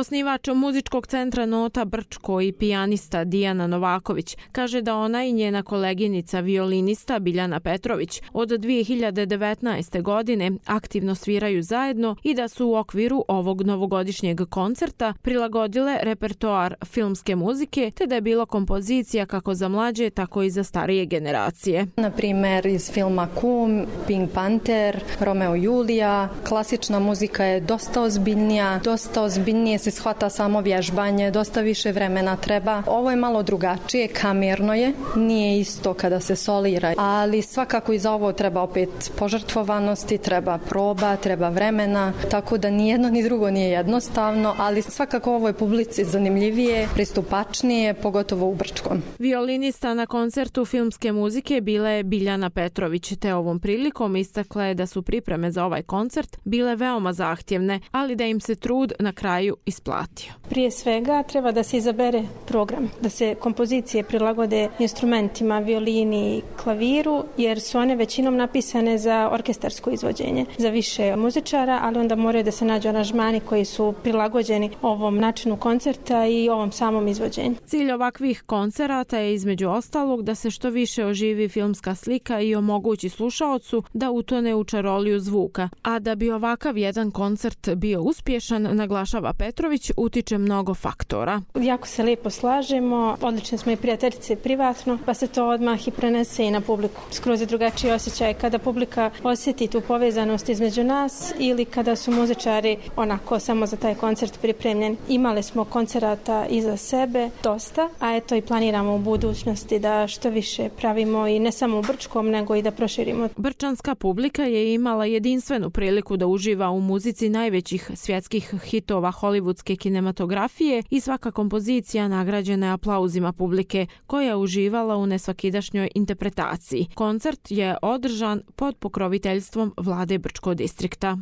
Osnivač muzičkog centra Nota Brčko i pijanista Dijana Novaković kaže da ona i njena koleginica violinista Biljana Petrović od 2019. godine aktivno sviraju zajedno i da su u okviru ovog novogodišnjeg koncerta prilagodile repertoar filmske muzike te da je bilo kompozicija kako za mlađe tako i za starije generacije. Na primjer iz filma Kum, Pink Panther, Romeo i Julija. Klasična muzika je dosta ozbiljnije se shvata samo vježbanje, dosta više vremena treba. Ovo je malo drugačije, kamerno je, nije isto kada se solira, ali svakako i za ovo treba opet požrtvovanosti, treba proba, treba vremena, tako da ni jedno ni drugo nije jednostavno, ali svakako ovo je publici zanimljivije, pristupačnije, pogotovo u Brčkom. Violinista na koncertu filmske muzike bila je Biljana Petrović, te ovom prilikom istakla je da su pripreme za ovaj koncert bile veoma zahtjevne, ali da im se trud na kraju isplatio. Prije svega treba da se izabere program, da se kompozicije prilagode instrumentima, violini i klaviru, jer su one većinom napisane za orkestarsko izvođenje, za više muzičara, ali onda moraju da se nađu aranžmani koji su prilagođeni ovom načinu koncerta i ovom samom izvođenju. Cilj ovakvih koncerata je između ostalog da se što više oživi filmska slika i omogući slušaocu da utone u čaroliju zvuka, a da bi ovakav jedan koncert bio uspješan, naglašava Petrović, utiče mnogo faktora. Jako se lijepo slažemo, odlične smo i prijateljice privatno, pa se to odmah i prenese i na publiku. Skroz je drugačiji osjećaj kada publika osjeti tu povezanost između nas ili kada su muzičari onako samo za taj koncert pripremljeni. Imali smo koncerata iza sebe dosta, a eto i planiramo u budućnosti da što više pravimo i ne samo u Brčkom, nego i da proširimo. Brčanska publika je imala jedinstvenu priliku da uživa u muzici najvećih svjetskih hitova hollywoodske kinematografije i svaka kompozicija nagrađena je aplauzima publike koja je uživala u nesvakidašnjoj interpretaciji. Koncert je održan pod pokroviteljstvom vlade Brčkog distrikta.